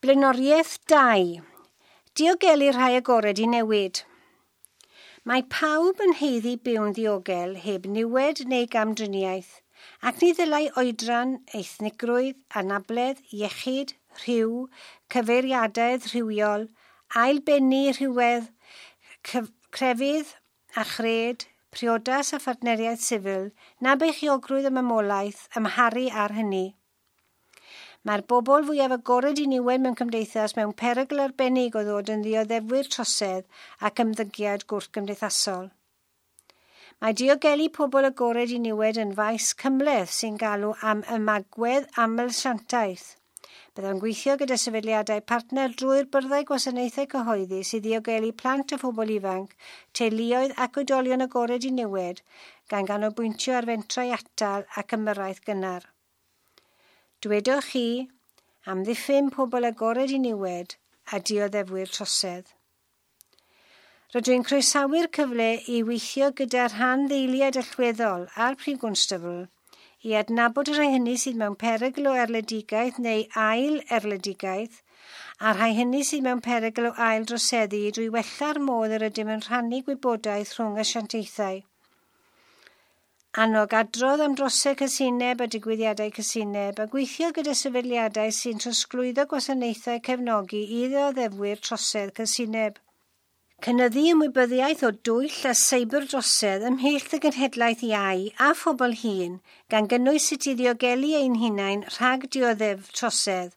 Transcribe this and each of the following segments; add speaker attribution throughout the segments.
Speaker 1: Blaenoriaeth 2. Diogelu rhai agored i newid. Mae pawb yn haeddu byw'n ddiogel heb niwed neu gamdriniaeth, ac ni ddylai oedran, ethnigrwydd, anabledd, iechyd, rhyw, cyfeiriadedd rhywiol, ailbennu rhywedd, crefydd a chred, priodas a phartneriaeth sifil, na beichiogrwydd y mamolaeth amharu ar hynny. Mae'r bobl fwyaf agored i niwed mewn cymdeithas mewn perygl arbennig o ddod yn ddioddefwyr trosedd ac ymddygiad gwrthgymdeithasol. Mae diogelu pobl agored i niwed yn faes cymhleth sy'n galw am ymagwedd amlasiantaeth. Byddwn gweithio gyda sefydliadau partner drwy'r byrddau gwasanaethau cyhoeddus i ddiogelu plant a phobl ifanc, teuluoedd ac oedolion agored i niwed, gan ganolbwyntio ar fentrau atal ac ymyrraeth gynnar. Dwedwch chi amddiffyn pobl agored i niwed a dioddefwyr trosedd. Rydw i'n croesawu'r cyfle i weithio gyda rhanddeiliaid allweddol a'r Prif Gwnstabl i adnabod y rhai hynny sydd mewn perygl o erledigaeth neu ail erledigaeth a'r rhai hynny sydd mewn perygl o ail droseddu drwy wella'r modd yr ydym yn rhannu gwybodaeth rhwng asiantaethau. Annog adrodd am drosedd casineb a digwyddiadau casineb a gweithio gyda sefydliadau sy'n trosglwyddo gwasanaethau cefnogi i ddioddefwyr trosedd casineb. Cynyddu ymwybyddiaeth o dwyll a seiberdrosedd ymhlith y genhedlaeth iau a phobl hŷn, gan gynnwys sut i ddiogelu ein hunain rhag dioddef trosedd,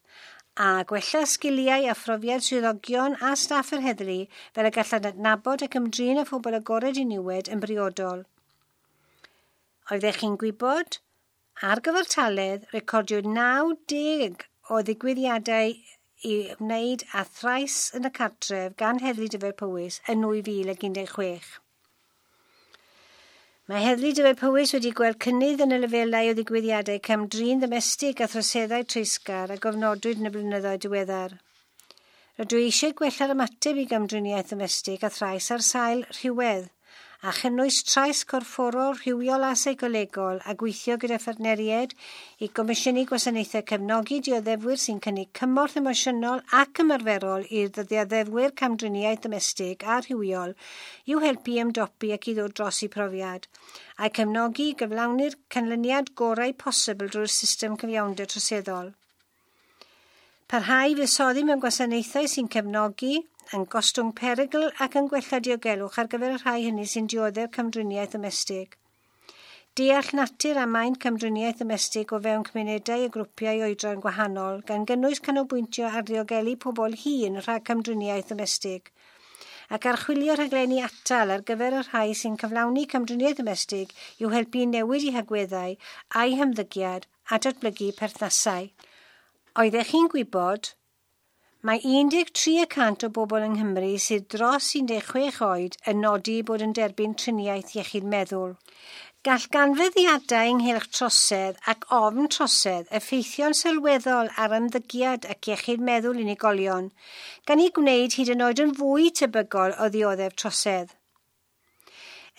Speaker 1: a gwella sgiliau a phrofiad swyddogion a staff yr heddlu fel y gallant adnabod ac ymdrin â phobl agored i niwed yn briodol. Oeddech chi'n gwybod? Ar gyfartaledd, recordiwyd 90 o ddigwyddiadau i wneud â thrais yn y cartref gan Heddlu Dyfed-Powys yn 2016. Mae Heddlu Dyfed-Powys wedi gweld cynnydd yn y lefelau o ddigwyddiadau cam-drin ddomestig a throseddau treisgar a gofnodwyd yn y blynyddoedd diweddar. Rydw i eisiau gwella'r ymateb i gamdriniaeth ddomestig a thrais ar sail rhywedd, a chynnwys trais corfforol, rhywiol a seicolegol a gweithio gyda phartneriaid i gomisiynu gwasanaethau cefnogi dioddefwyr sy'n cynnig cymorth emosiynol ac ymarferol i'r ddioddefwyr camdriniaeth domestig a rhywiol i'w helpu i ymdopi ac i ddod dros eu profiad, a'i cefnogi i gyflawni'r canlyniad gorau posibl drwy'r system cyfiawnder troseddol. Parhau i fuddsoddi mewn gwasanaethau sy'n cefnogi, yn gostwng perygl ac yn gwella diogelwch ar gyfer y rhai hynny sy'n dioddef camdriniaeth domestig. Deall natur a maint camdriniaeth domestig o fewn cymunedau a grwpiau oedran gwahanol, gan gynnwys canolbwyntio ar ddiogelu pobl hŷn rhag camdriniaeth domestig, ac archwilio rhaglenni atal ar gyfer y rhai sy'n cyflawni camdriniaeth domestig i'w helpu i newid eu hagweddau a'u hymddygiad a datblygu perthnasau. Oeddech chi'n gwybod? Mae 13% o bobl yng Nghymru sydd dros 16 oed yn nodi bod yn derbyn triniaeth iechyd meddwl. Gall ganfyddiadau ynghylch trosedd ac ofn trosedd effeithio'n sylweddol ar ymddygiad ac iechyd meddwl unigolion, gan ei gwneud hyd yn oed yn fwy tebygol o ddioddef trosedd.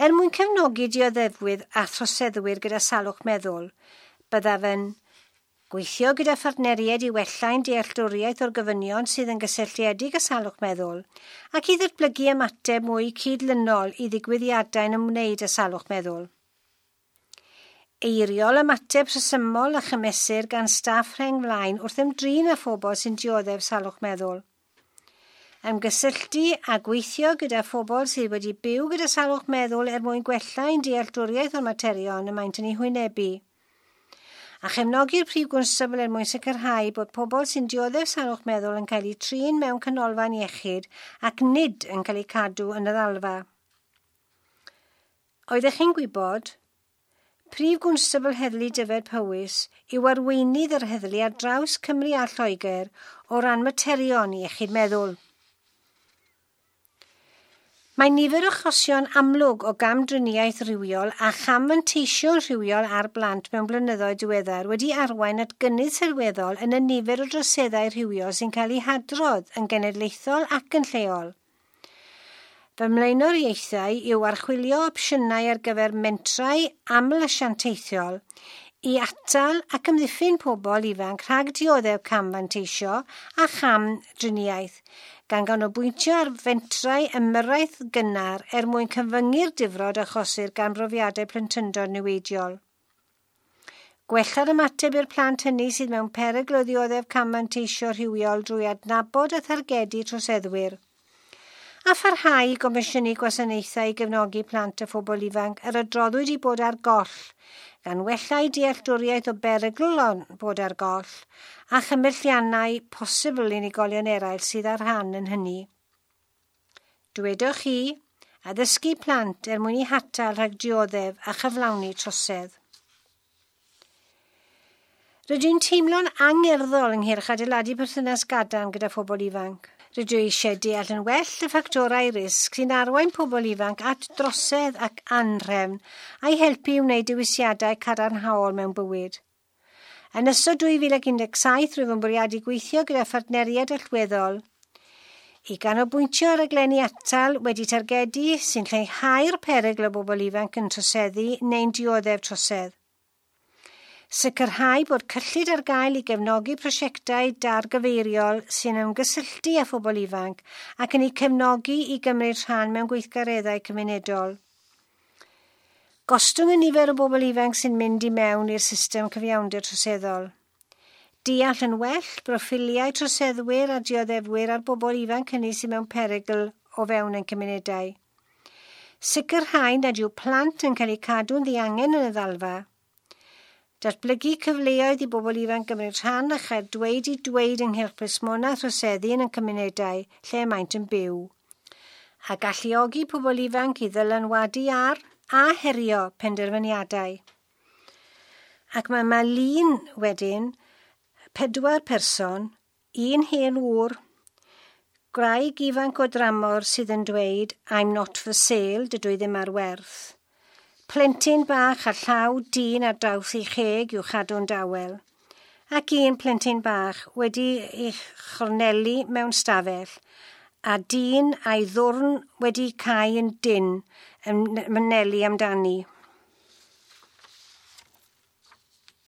Speaker 1: Er mwyn cefnogi dioddefwyr a throseddwyr gyda salwch meddwl, byddaf yn gweithio gyda phartneriaid i wella'n dealltwriaeth o'r gofynion sydd yn gysylltiedig â salwch meddwl ac i ddatblygu ymateb mwy cydlynol i ddigwyddiadau'n ymwneud â salwch meddwl. Eiriol ymateb rhesymol a chymesur gan staff rheng flaen wrth ymdrin â phobl sy'n dioddef salwch meddwl. Ymgysylltu a gweithio gyda phobl sydd wedi byw gyda salwch meddwl er mwyn gwella ein dealltwriaeth o'r materion y maent yn eu hwynebu. A chefnogi'r Prif Gwnstabl er mwyn sicrhau bod pobl sy'n dioddef salwch meddwl yn cael eu trin mewn canolfan iechyd ac nid yn cael eu cadw yn y ddalfa. Oeddech chi'n gwybod? Prif Gwnstabl Heddlu Dyfed-Powys yw arweinydd yr heddlu ar draws Cymru a Lloegr o ran materion iechyd meddwl. Mae nifer o achosion amlwg o gamdriniaeth rhywiol a chamfanteision rhywiol ar blant mewn blynyddoedd diweddar wedi arwain at gynnydd sylweddol yn y nifer o droseddau rhywiol sy'n cael eu hadrodd yn genedlaethol ac yn lleol. Fy mlaenoriaethau yw archwilio opsiynau ar gyfer mentrau amlasiantaethiol I atal ac amddiffyn pobl ifanc rhag dioddef cam-fanteisio a cham driniaeth, gan ganolbwyntio ar fentrau ymyrraeth gynnar er mwyn cyfyngu'r difrod achosir gan brofiadau plentyndod niweidiol. Gwella'r ymateb i'r plant hynny sydd mewn perygl o ddioddef cam-fanteisio rhywiol drwy adnabod a thargedu troseddwyr. A pharhau i gomisiynu gwasanaethau i gefnogi plant a phobl ifanc yr adroddwyd i bod ar goll, gan wella eu dealltwriaeth o berygl o bod ar goll a chymhelliannau posibl unigolion eraill sydd â rhan yn hynny. Dwedwch chi, addysgu plant er mwyn eu hatal rhag dioddef a chyflawni trosedd. Rydw i'n teimlo'n angerddol ynghylch adeiladu perthynas gadarn gyda phobl ifanc. Rydw i eisiau deall yn well y ffactorau risg sy'n arwain pobl ifanc at drosedd ac anhrefn a'i helpu i wneud dewisiadau cadarnhaol mewn bywyd. Yn ystod 2017, rwyf yn bwriadu gweithio gyda phartneriaid allweddol i ganolbwyntio ar raglenni atal wedi targedu sy'n lleihau'r perygl o bobl ifanc yn troseddu neu'n dioddef trosedd. Sicrhau bod cyllid ar gael i gefnogi prosiectau dargyfeiriol sy'n ymgysylltu â phobl ifanc ac yn eu cefnogi i gymryd rhan mewn gweithgareddau cymunedol. Gostwng y nifer o bobl ifanc sy'n mynd i mewn i'r system cyfiawnder troseddol. Deall yn well broffiliau troseddwyr a dioddefwyr a'r bobl ifanc hynny sydd mewn perygl o fewn ein cymunedau. Sicrhau nad yw plant yn cael eu cadw'n ddiangen yn y ddalfa. Datblygu cyfleoedd i bobl ifanc gymryd rhan a chael dweud eu dweud ynghylch plismona troseddu yn y cymunedau lle maent yn byw. A galluogi pobl ifanc i ddylanwadu ar a herio penderfyniadau. Ac mae yma lun wedyn, 4 person, un hen ŵr, gwraig ifanc o dramor sydd yn dweud "I'm not for sale", dydw i ddim ar werth. Plentyn bach a llaw dyn ar draws ei cheg i'w chadw'n dawel. Ac un plentyn bach wedi ei chornelu mewn stafell, a dyn a'i ddwrn wedi cau yn dynn yn mynelu amdani.